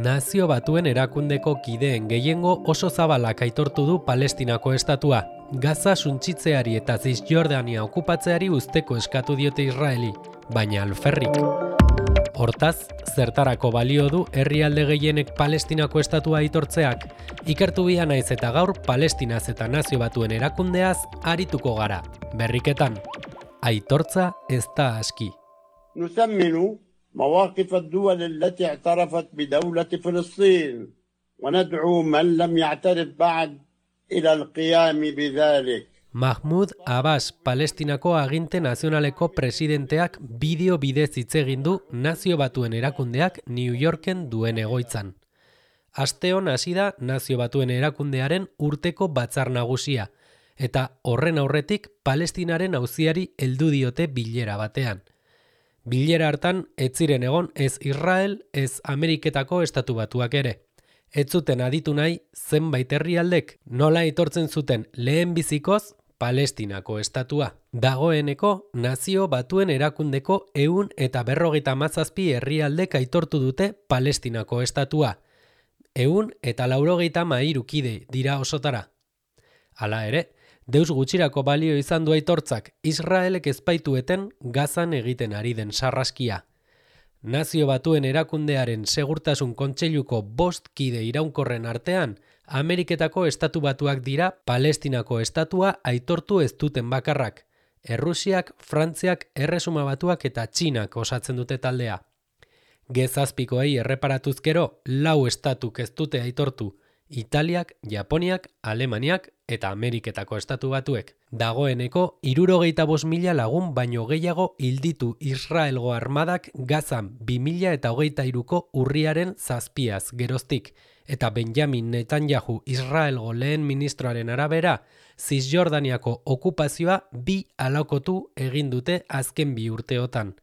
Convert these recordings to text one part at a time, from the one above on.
Nazio Batuen erakundeko kideen gehiengo oso zabalak aitortu du Palestinako estatua. Gaza suntsitzeari eta Zisjordania okupatzeari usteko eskatu diote Israeli, baina alferrik. Hortaz, zertarako balio du herrialde gehienek Palestinako estatua aitortzeak? Ikertu bia naiz eta gaur Palestinaz eta Nazio Batuen erakundeaz arituko gara. Berriketan, aitortza ez da aski. نثمن مواقف الدول التي اعترفت بدولة فلسطين وندعو من لم يعترف بعد إلى القيام بذلك. Mahmoud Abbas, Palestinako aginte nazionaleko presidenteak bideo bidez hitz egin du Nazio Batuen erakundeak New Yorken duen egoitzan. Asteon hasi da Nazio Batuen erakundearen urteko batzar nagusia, eta horren aurretik Palestinaren auziari heldu diote bilera batean. Bilera hartan ez ziren egon ez Israel, ez Ameriketako Estatu Batuak ere. Ez zuten aditu nahi zenbait herrialdek nola aitortzen zuten lehen bizikoz Palestinako estatua. Dagoeneko Nazio Batuen erakundeko 157 herrialdek aitortu dute Palestinako estatua. 193 kide dira osotara. Hala ere, deus gutxirako balio izan du aitortzak Israelek ezpaitueten Gazan egiten ari den sarraskia. Nazio Batuen erakundearen segurtasun kontseiluko 5 kide iraunkorren artean, Ameriketako Estatu Batuak dira Palestinako estatua aitortu ez duten bakarrak. Errusiak, Frantziak, Erresuma Batuak eta Txinak osatzen dute taldea. Gezazpikoei erreparatuz gero, 4 estatuk ez dute aitortu. Italiak, Japoniak, Alemaniak eta Ameriketako Estatu Batuek. Dagoeneko 75.000 lagun baino gehiago hilditu Israelgo armadak Gazan 2023ko urriaren 7az geroztik, eta Benjamin Netanyahu Israelgo lehen ministroaren arabera, Zisjordaniako okupazioa 2 alakotu egin dute azken 2 urteotan.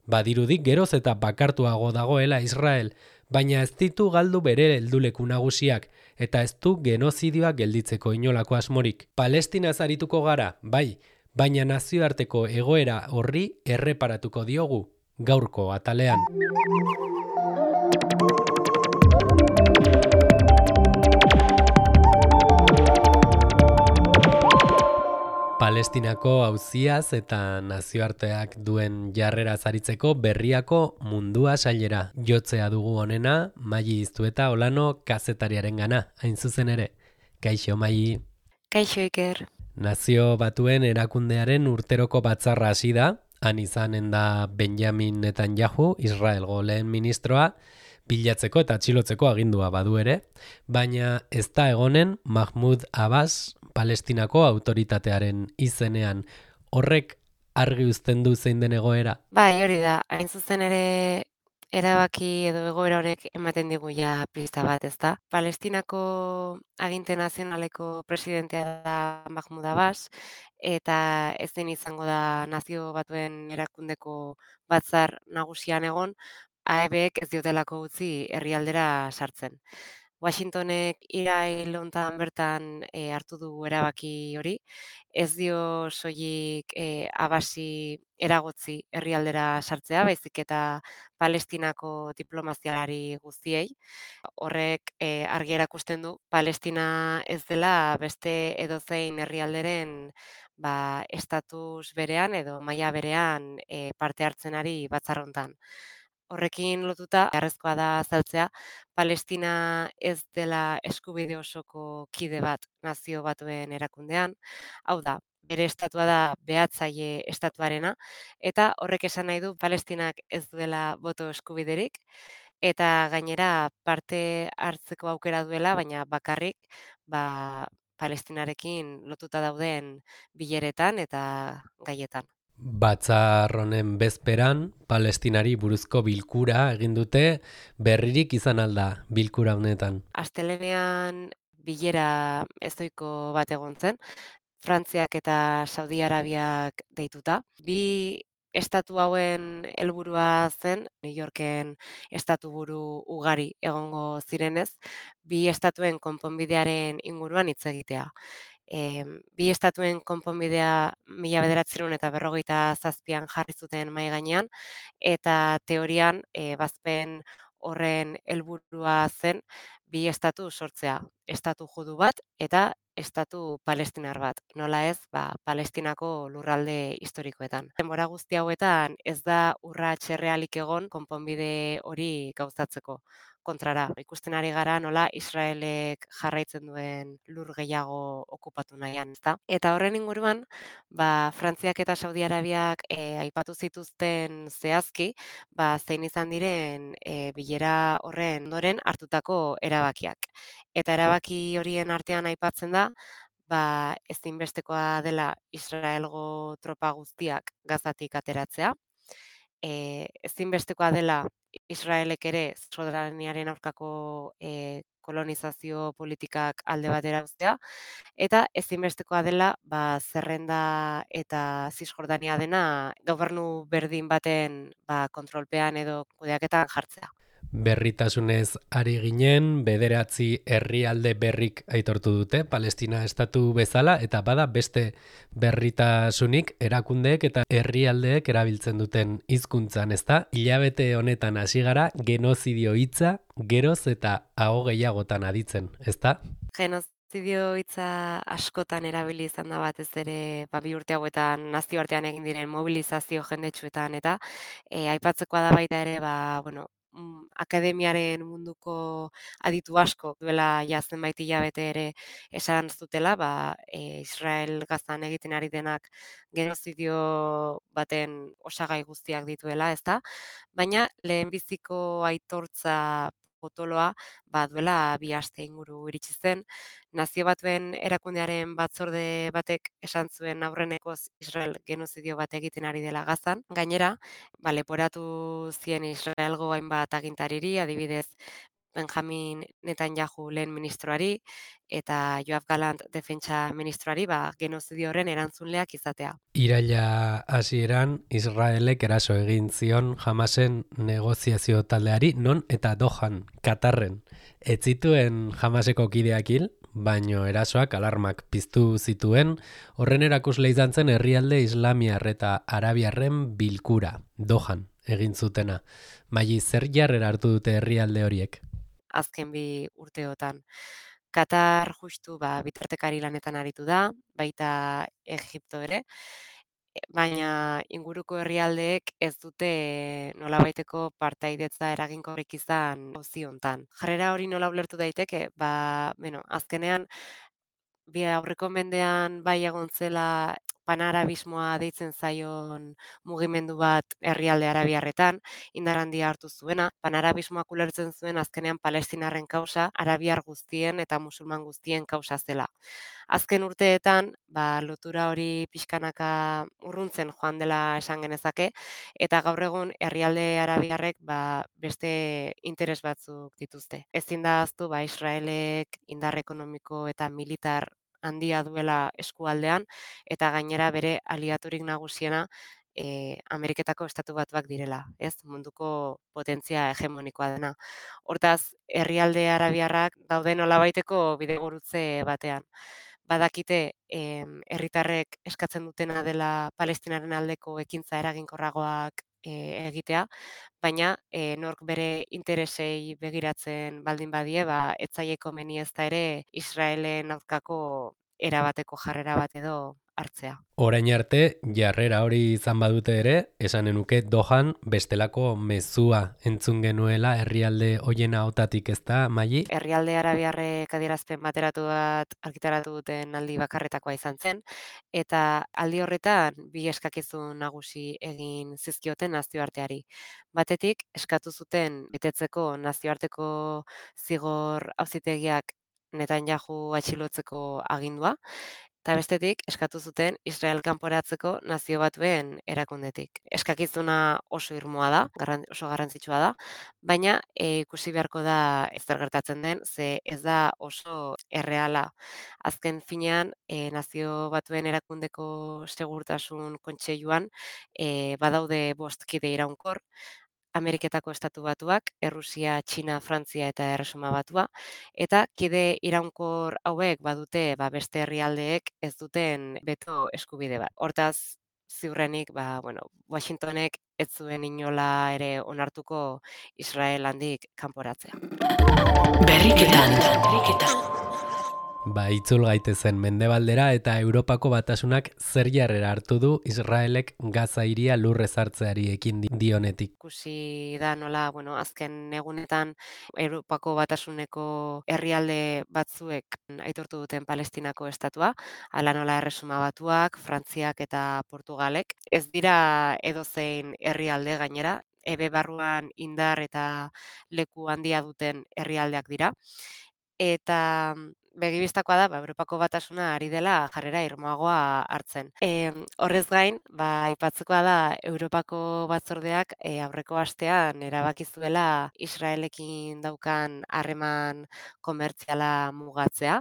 Badirudik geroz eta bakartuago dagoela Israel, baina ez ditu galdu bere helduleku nagusiak, eta ez du genozidioa gelditzeko inolako asmorik. Palestinaz arituko gara, bai, baina nazioarteko egoera horri erreparatuko diogu, gaurko atalean. Palestinako auziaz eta nazioarteak duen jarrera zaritzeko berriako mundua sailera. Jotzea dugu honena, Maili Iztueta Olano kazetariaren gana, hain zuzen ere. Kaixo, Maili. Kaixo, Iker. Nazio Batuen erakundearen urteroko batzarra hasi da, han izanen da Benjamin Netanyahu, Israelgo lehen ministroa, bilatzeko eta atxilotzeko agindua badu ere, baina ez da egonen Mahmoud Abbas, Palestinako autoritatearen izenean. Horrek argi uzten du zein den egoera? Bai, hori da, hain zuzen ere erabaki edo egoera horrek ematen digu ja pista bat, ezta? Palestinako aginte nazionaleko presidentea da Mahmoud Abbas, eta ezin izango da Nazio Batuen erakundeko batzar nagusian egon, AEBek ez diotelako utzi herrialdera sartzen. Washingtonek irail hontan bertan hartu du erabaki hori, ez dio soilik Abbasi eragotzi herrialdera sartzea, baizik eta Palestinako diplomazialari guztiei. Horrek argi erakusten du Palestina ez dela beste edozein herrialderen estatus berean edo maila berean parte hartzen ari batzar hontan. Horrekin lotuta, beharrezkoa da azaltzea, Palestina ez dela eskubide osoko kide bat Nazio Batuen erakundean, hau da, bere estatua da behatzaile estatuarena, eta horrek esan nahi du Palestinak ez duela boto eskubiderik, eta gainera parte hartzeko aukera duela, baina bakarrik Palestinarekin lotuta dauden bileretan eta gaietan. Batzar honen bezperan, Palestinari buruzko bilkura egin dute, berririk izan alda bilkura honetan. Astelehenean bilera ezoiko bat egon zen, Frantziak eta Saudi Arabiak deituta. Bi estatu hauen helburua zen, New Yorken estatuburu ugari egongo zirenez, bi estatuen konponbidearen inguruan hitz egitea. Bi estatuen konponbidea 1947an jarri zuten mahai gainean, eta teorian bazpen horren helburua zen bi estatu sortzea, estatu judu bat eta estatu palestinar bat, nola ez, Palestinako lurralde historikoetan. Denbora guzti hauetan ez da urrats errealik egon konponbide hori gauzatzeko. Kontrara, ikusten ari gara nola Israelek jarraitzen duen lur gehiago okupatu nahian, ezta? Eta horren inguruan, Frantziak eta Saudi Arabiak aipatu zituzten zehazki, zein izan diren bilera horren ondoren hartutako erabakiak. Eta erabaki horien artean aipatzen da, ezinbestekoa dela Israelgo tropa guztiak Gazatik ateratzea, ezinbestekoa dela Israelek ere soberaniaren aurkako kolonizazio politikak alde batera uztea, eta ezinbestekoa dela Zerrenda eta Zisjordania dena gobernu berdin baten kontrolpean edo kudeaketan jartzea. Berritasunez ari ginen, bederatzi herrialde berrik aitortu dute, Palestina estatu bezala, eta bada beste berritasunik erakundeek eta herrialdeek erabiltzen duten hizkuntzan, ezta? Hilabete honetan hasi gara genozidio hitza geroz eta aho gehiagotan aditzen, ezta? Genozidio hitza askotan erabili izan da batez ere, bi urte hauetan nazioartean egin diren mobilizazio jendetsuetan eta aipatzekoa da baita ere, akademiaren munduko aditu asko duela zenbait hilabete ere esan zutela, Israel Gazan egiten ari denak genozidio baten osagai guztiak dituela, ezta? Baina lehenbiziko aitortza potoloa duela 2 aste inguru iritsi zen. Nazio Batuen erakundearen batzorde batek esan zuen aurrenekoz Israel genozidio bat egiten ari dela Gazan. Gainera, leporatu zien Israelgo hainbat agintariri, adibidez Benjamin Netanyahu lehen ministroari eta Yoav Gallant defentsa ministroari genozidio horren erantzunleak izatea. Iraila hasieran Israelek eraso egin zion Hamasen negoziazio taldeari, non eta Dohan, Katarren. Ez zituen Hamaseko kideak hil, baino erasoak alarmak piztu zituen, horren erakusle izan zen herrialde islamiar eta arabiarren bilkura, Dohan, egin zutena. Maili zer jarrera hartu dute herrialde horiek? Azken 2 urteotan. Katar justu bitartekari lanetan aritu da, baita Egipto ere, baina inguruko herrialdeek ez dute nolabaiteko partaidetza eraginkorrik izan auzi hontan. Jarrera hori nola ulertu daiteke? Azkenean bi aurreko mendean egon zela panarabismoa deitzen zaion mugimendu bat herrialde arabiarretan, indar handia hartu zuena. Panarabismoak ulertzen zuen azkenean Palestinarren kausa, arabiar guztien eta musulman guztien kausa zela. Azken urteetan, lotura hori pixkanaka urruntzen joan dela esan genezake, eta gaur egun herrialde arabiarrek beste interes batzuk dituzte. Ezin da ahaztu Israelek indar ekonomiko eta militar handia duela eskualdean, eta gainera bere aliaturik nagusiena Ameriketako Estatu Batuak direla, ez? Munduko potentzia hegemonikoa dena. Hortaz, herrialde arabiarrak daude nolabaiteko bidegurutze batean. Badakite herritarrek eskatzen dutena dela Palestinaren aldeko ekintza eraginkorragoak egitea, baina nork bere interesei begiratzen baldin badie, ez zaie komeni ezta ere Israelen aurkako erabateko jarrera bat edo hartzea. Orain arte, jarrera hori izan badute ere, esanen nuke Dohan bestelako mezua entzun genuela herrialde hoien ahotatik, ezta, Maili? Herrialde arabiarrek adierazpen bateratu bat argitaratu duten aldi bakarretakoa izan zen, eta aldi horretan 2 eskakizun nagusi egin zizkioten nazioarteari. Batetik, eskatu zuten betetzeko nazioarteko zigor auzitegiak Netanyahu atxilotzeko agindua, eta bestetik, eskatu zuten Israel kanporatzeko Nazio Batuen erakundetik. Eskakizuna oso irmoa da, oso garrantzitsua da, baina ikusi beharko da zer gertatzen den, ze ez da oso erreala. Azken finean, Nazio Batuen erakundeko segurtasun kontseiluan badaude 5 kide iraunkor, Ameriketako Estatu Batuak, Errusia, Txina, Frantzia eta Erresuma Batua, eta kide iraunkor hauek badute beste herrialdeek ez duten beto eskubide bat. Hortaz, ziurrenik, Washingtonek ez zuen inola ere onartuko Israel handik kanporatzea. Berriketan. Itzul gaitezen Mendebaldera eta Europako Batasunak zer jarrera hartu du Israelek Gaza hiria lurrez hartzeari ekin dionetik. Ikusi da nola, azken egunetan Europako Batasuneko herrialde batzuek aitortu duten Palestinako estatua, hala nola Erresuma Batuak, Frantziak eta Portugalek. Ez dira edozein herrialde gainera, ebe barruan indar eta leku handia duten herrialdeak dira. Eta begibistakoa da, Europako Batasuna ari dela jarrera irmoagoa hartzen. Horrez gain, aipatzekoa da Europako Batzordeak aurreko astean erabaki zuela Israelekin daukan harreman komertziala mugatzea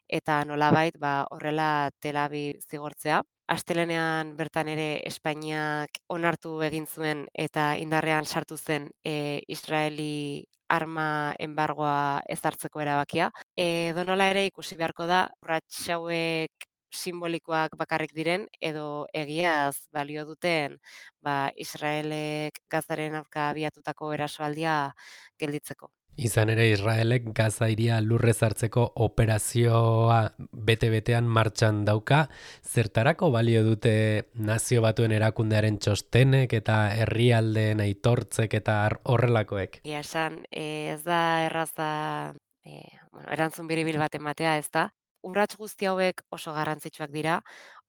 eta nolabait horrela Tel Aviv zigortzea. Astelenean bertan ere Espainiak onartu egin zuen eta indarrean sartu zen Israeli arma enbargoa ezartzeko erabakia. Edonola ere ikusi beharko da urrats hauek simbolikoak bakarrik diren edo egiaz balio duten Israelek Gazaren aurka abiatutako erasoaldia gelditzeko. Izan ere Israelek Gaza hiria lurrez hartzeko operazioa bete-betean martxan dauka, zertarako balio dute Nazio Batuen erakundearen txostenek eta herrialdeen aitortzek eta horrelakoek? Egia esan, ez da erraza erantzun biribil bat ematea, ez da? Urrats guzti hauek oso garrantzitsuak dira,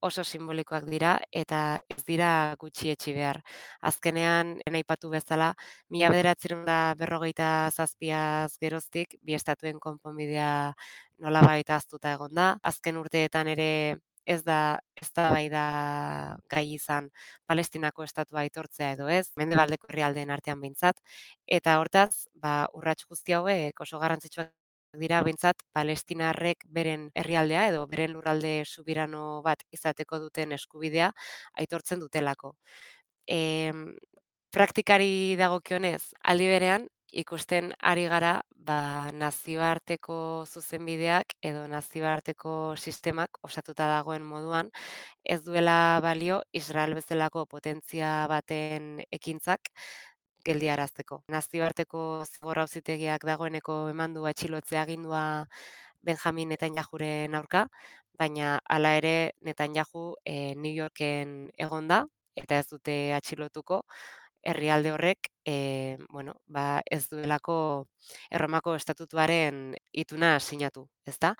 oso simbolikoak dira eta ez dira gutxietsi behar. Azkenean, aipatu bezala, 1947 geroztik bi estatuen konponbidea nolabait ahaztuta egon da. Azken urteetan ere ez da eztabaida gai izan Palestinako estatua aitortzea edo ez, Mendebaldeko herrialdeen artean behintzat, eta hortaz, urrats guzti hauek oso garrantzitsuak dira behintzat palestinarrek beren herrialdea edo beren lurralde subirano bat izateko duten eskubidea aitortzen dutelako. Praktikari dagokionez, aldi berean, ikusten ari gara nazioarteko zuzenbideak edo nazioarteko sistemak osatuta dagoen moduan, ez duela balio Israel bezalako potentzia baten ekintzak geldiarazteko. Nazioarteko zigor auzitegiak dagoeneko eman du atxilotze agindua Benjamin Netanyahuren aurka, baina hala ere Netanyahu New Yorken egonda eta ez dute atxilotuko herrialde horrek ez duelako Erromako estatutuaren ituna sinatu, ezta?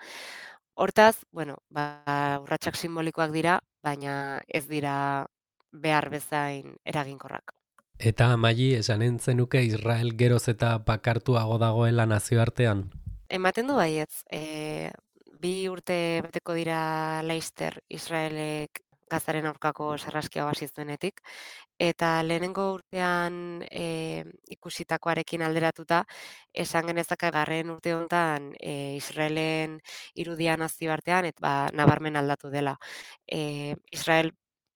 Hortaz, urratsak simbolikoak dira, baina ez dira behar bezain eraginkorrak. Eta Amaili, esanen zenuke Israel geroz eta bakartuago dagoela nazioartean? Ematen du baietz. 2 urte beteko dira laster Israelek Gazaren aurkako sarraskia hasi zuenetik, eta lehenengo urtean ikusitakoarekin alderatuta, esan genezake garren urte honetan Israelen irudia nazioartean eta nabarmen aldatu dela. Israel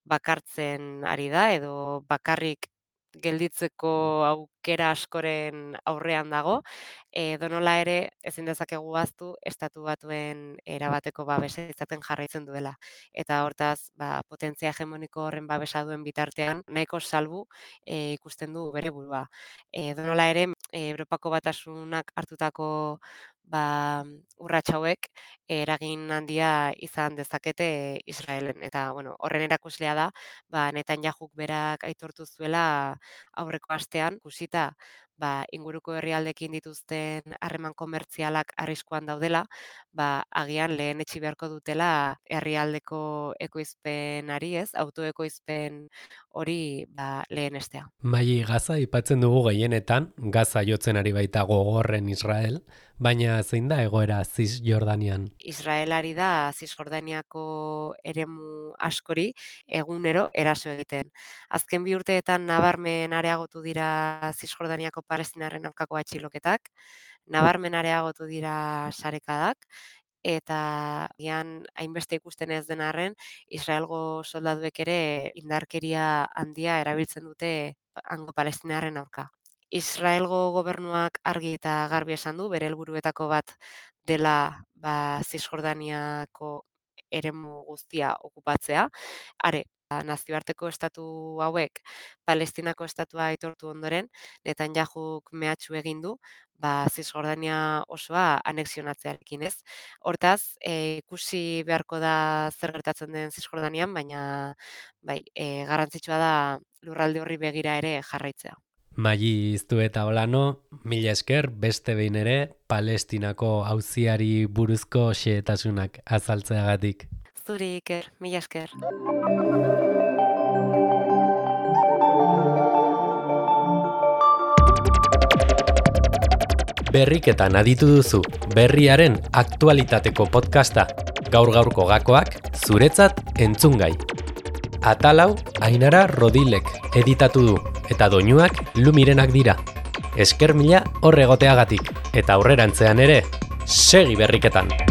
bakartzen ari da edo bakarrik gelditzeko aukera askoren aurrean dago. Edonola ere ezin dezakegu ahaztu estatu batuen erabateko babesa izaten jarraitzen duela. Eta hortaz, potentzia hegemoniko horren babesa duen bitartean, nahiko salbu ikusten du bere burua. Edonola ere, Europako Batasunak hartutako urrats hauek eragin handia izan dezakete Israelen. Eta horren erakuslea da, Netanyahuk berak aitortu zuela aurreko astean, ikusita inguruko herrialdekin dituzten harreman komertzialak arriskuan daudela, agian lehen etxi beharko dutela herrialdeko ekoizpenari, autoekoizpen hori lehenestea. Gaza aipatzen dugu gehienetan, Gaza jotzen ari baita gogorren Israel, baina zein da egoera Cisjordanian? Israelari da Cisjordaniako eremu askori egunero eraso egiten. Azken 2 urteetan nabarmen areagotu dira Cisjordaniako palestinarren aurkako atxiloketak, nabarmen areagotu dira sarekadak, eta hainbeste ikusten ez den arren, Israelgo soldaduek ere indarkeria handia erabiltzen dute hango palestinarren aurka. Israelgo gobernuak argi eta garbi esan du bere helburuetako bat dela Cisjordaniako eremu guztia okupatzea. Are, nazioarteko estatu hauek Palestinako estatua aitortu ondoren, Netanyahuk mehatxu egin du, Zisjordania osoa anexionatzearekin, ez? Hortaz, ikusi beharko da zer gertatzen den Zisjordanian, baina garrantzitsua da lurralde horri begira ere jarraitzea. Maili Iztueta Olano, mila esker beste behin ere Palestinako auziari buruzko xehetasunak azaltzeagatik. Zuri Iker, mila esker. Berriketan aditu duzu berriaren aktualitateko podcasta. Gaur-gaurko gakoak zuretzat entzungai. Atalau Ainara Rodilek editatu du eta doinuak Lumirenak dira. Esker mila hor egoteagatik eta aurrerantzean ere segi berriketan.